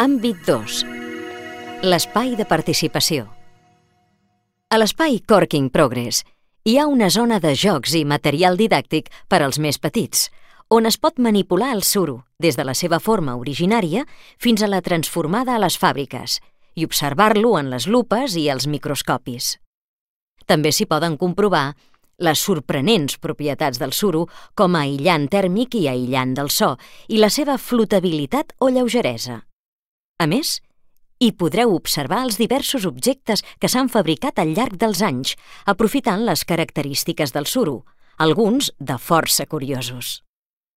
Àmbit 2. L'espai de participació. A l'espai Corking Progress hi ha una zona de jocs i material didàctic per als més petits, on es pot manipular el suro des de la seva forma originària fins a la transformada a les fàbriques i observar-lo en les lupes i els microscopis. També s'hi poden comprovar les sorprenents propietats del suro com a aïllant tèrmic i aïllant del so i la seva flotabilitat o lleugeresa. A més, hi podreu observar els diversos objectes que s'han fabricat al llarg dels anys, aprofitant les característiques del suro, alguns de força curiosos.